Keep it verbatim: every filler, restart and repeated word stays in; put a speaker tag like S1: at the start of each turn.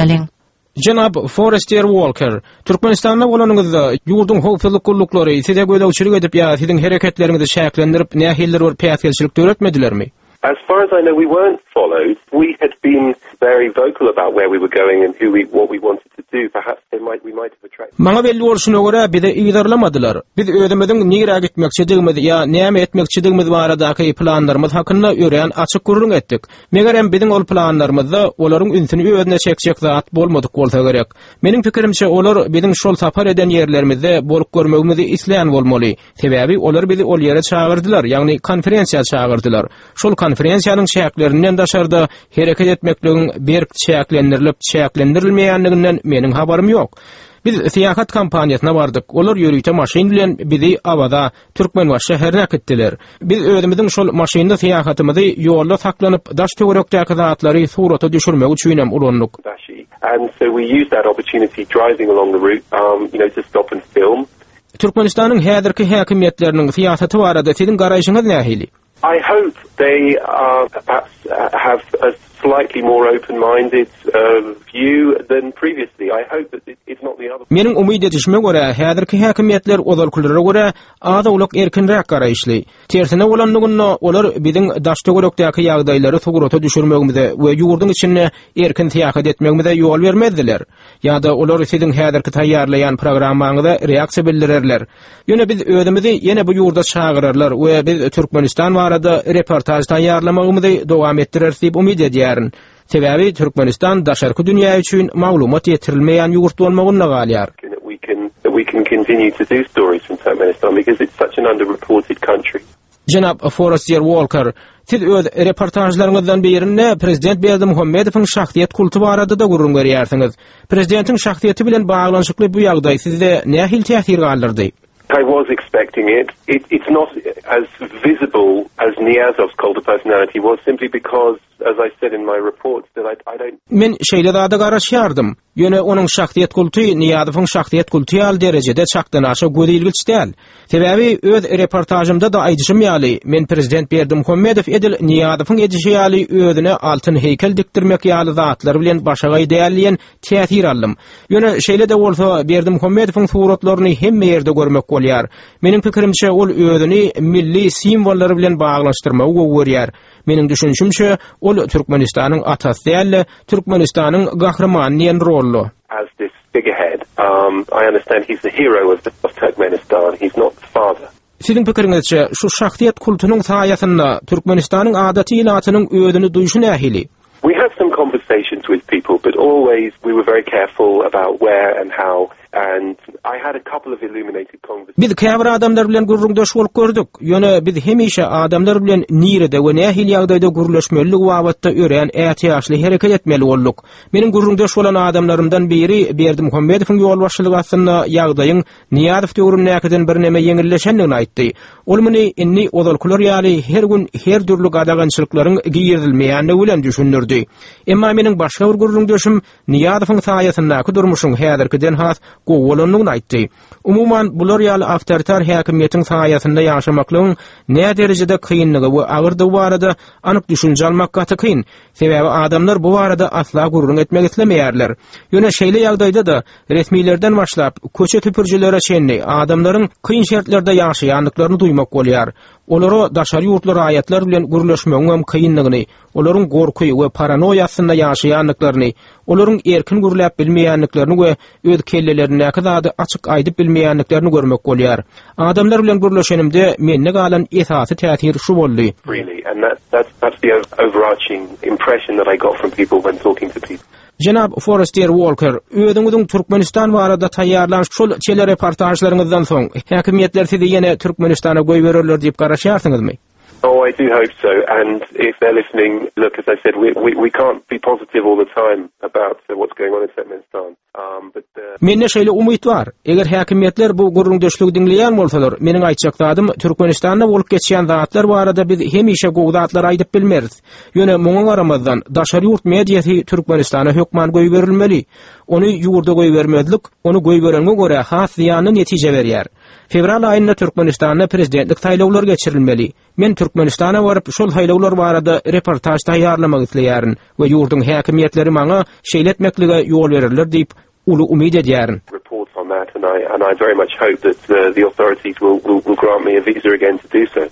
S1: diňläliň.
S2: Jenap Forestier Walker, Türkmenistanda bolanyňyzda ýurduň howpsuzlyk gulluklary size gözegçilik edip ýa siziň hereketleriňizi çäklendirip nähilidir bir päsgelçilik döretmedilermi?
S3: As far as I know, we weren't followed. We had been very vocal about where we were going and who we, what we wanted to do. Perhaps they might, we might have attracted.
S2: Maňa belli bolşuna görä bizi yzarlamadylar. Biz özümiziň nirä gitmekçidigimiz ýa näme etmekçidigimiz baradaky planlarymyz hakynda örän açyk gürrüň etdik. Megerem biziň ol planlarymyzda olaryň ünsüni özüne çekjek zat bolmadyk bolsa gerek. Meniň pikirimçe olar biziň şol sapar eden ýerlerimizde bolup görmegimizi islän bolmaly. Sebäbi olar bizi ol ýere çagyrdylar, ýagny konferensiýa çagyrdylar. Şol konferensiýanyň çäklerinden daşarda hereket etmekligiň berk çäklendirilip çäklendirilmeýänliginden meniň habarym ýok. Biz syýahat kompaniýasyna bardyk. Olar ýörite maşyn bilen bizi Awaza, Türkmenbaşy şäherine äkitdiler. Biz özümiziň şol maşynda syýahatymyzy ýolda saklanyp, daş töwerekdäki zatlary surata düşürmek üçin hem ulandyk.
S3: Bashi. And so we used that opportunity driving along the route, um, you know, to stop and film.
S2: Türkmenistanyň häzirki häkimiýetleriniň syýasaty barada siziň garaýşyňyz nähili?
S3: I hope they are perhaps uh, have a slightly more open-minded uh, view than previously. I hope that it, it's not the other.
S2: Meniň umyt edişime görä, häzirki häkimiýetler ozalkylara görä az-owlak erkinräk garaýyşly. Tersine bolanlygynda olar biziň daş töwerekdäki ýagdaýlary surata düşürmegimize we ýurduň içinde erkin syýahat etmegimize ýol bermezdiler. Ýa-da olar siziň häzirki taýýarlaýan programmaňyza reaksiýa bildirerler. Ýöne biz özümizi ýene bu ýurda çagyrarlar we biz Türkmenistan barada reportaž taýýarlamagymyzy dowam etdireris diýip umyt edýärin. Sebäbi Türkmenistan daşarky dünýä üçin maglumat ýetirilmeýän ýurt bolmagynda galýar.
S3: That we can that we can continue to do stories from Turkmenistan because it's such an underreported country.
S2: Jenap Forestier Walker, siz öz reportažlaryňyzdan birinde Prezident Berdimuhamedowyň şahsyýet kulty barada da gürrüň berýärsiňiz. Prezidentiň şahsyýeti bilen baglanyşykly bu ýagdaý sizde nähili täsir galdyrdy?
S3: I was expecting it. it. It's not as visible as Niyazov's cult of personality was simply because, as I said in my reports, that I, I don't
S2: Men şeýle zada garaşýardym. Ýöne onuň şahsyýet kulty Niýazowyň şahsyýet kulty ýaly derejede çakdan aşa göz ilgiç däl. Sebäbi öz reportažymda da aýdyşym ýaly, men prezident Berdimuhamedow edil Niýazowyň edişi ýaly özüne altyn heýkel dikdirmek ýaly zatlar bilen başagaý däl diýen täsir aldym. Ýöne şeýle de bolsa Berdimuhamedowyň suratlaryny hemme ýerde görmek bolýar. Meniň pikirimçe ol özüni milli simwollary bilen baglanyşdyrmagy gowy görýär. Meniň düşünişimçe ol Türkmenistanyň atasy däl, Türkmenistanyň gahrymany diýen rolda.
S3: as this figurehead. Um, I understand he's the hero of, the, of Turkmenistan. He's not the father.
S2: Siziň pikiriňizçe şu şahsyýet kultunyň saýasynda Türkmenistanyň adaty ilatynyň özüni duýşy nähili?
S3: We had some conversations with people, but always we were very careful about where and how. And I had a couple of illuminated conversations.
S2: Biz käbir adamlar bilen gürrüňdeş bolup gördük. Ýöne biz hemişe adamlar bilen nirede we nähili ýagdaýda gürleşmelidigi babatda örän ätiýaçly hereket etmeli bolduk. Meniň gürrüňdeş bolan adamlarymdan biri Berdimuhamedowyň ýolbaşçylygy astynda ýagdaýyň Niýazow döwründäkiden birneme ýeňilleşendigini aýtdy. Ol muny indi ozalkylar ýaly her gün her dürli gadagançylyklaryň girizilmeýändigi bilen düşündirdi. Emma meniň başga bir gürrüňdeşim Niýazowyň saýasyndaky durmuşyň häzirkiden has gowy bolandygyny aýtdy. Umuman bular ýaly awtoritar häkimiýetiň saýasynda ýaşamaklygyň nä derejede kynlygy we agyrdygy barada anyk düşünje almak gaty kyn. Sebäbi adamlar bu barada asla gürrüň etmek islemeýärler. Ýöne şeýle ýagdaýda da resmilerden başlap köçe tüpürjilere çenli adamlaryň kyn şertlerde ýaşaýandyklaryny duýmak bolýar. Olara daşary ýurtly raýatlar bilen gürleşmegiň hem kynlygyny, olaryň gorky we paranoýa astynda ýaşaýandyklaryny, olaryň erkin gürläp bilmeýändiklerini we öz kellelerindäki zady açyk aýdyp bilmeýändiklerini görmek bolýar. Adamlar bilen gürleşenimde mende galan esasy täsir şu boldy.
S3: Really, and that, that's, that's the overarching impression that I got from people when talking to people.
S2: Jenap Forestier Walker, özüňiziň Türkmenistan barada taýýarlan şol telereportažlaryňyzdan soň häkimiýetler sizi ýene Türkmenistana goýbererler diýip garaşýarsyňyzmy?
S3: Oh, I do hope so. And if they're listening, look, as I said, we, we, we can't be positive all the time about uh, what's going on in Turkmenistan. Um, but uh,
S2: Mende şeýle umyt bar. Eger häkimiýetler bu gürrüňdeşligi diňleýän bolsalar, meniň aýtjak zadym Türkmenistanda bolup geçýän zatlar barada biz hemişe gowy zatlar aýdyp bilmeris. Ýöne muňa garamazdan daşary ýurt mediasy Türkmenistana hökman goýberilmeli. Ony ýurda goýbermezlik, ony goýberene görä has zyýanly netije berýär. Fewral aýynda Türkmenistanda prezidentlik saýlawlary geçirilmeli. Men Türkmenistana baryp şol saýlawlar barada reportaž taýýarlamak isleýärin we ýurduň häkimiýetleri maňa şeýle etmeklige ýol bererler diýip uly umyt edýärin.
S3: reports on that, and I and I very much hope that uh, the authorities will, will, will grant me a visa again to do so.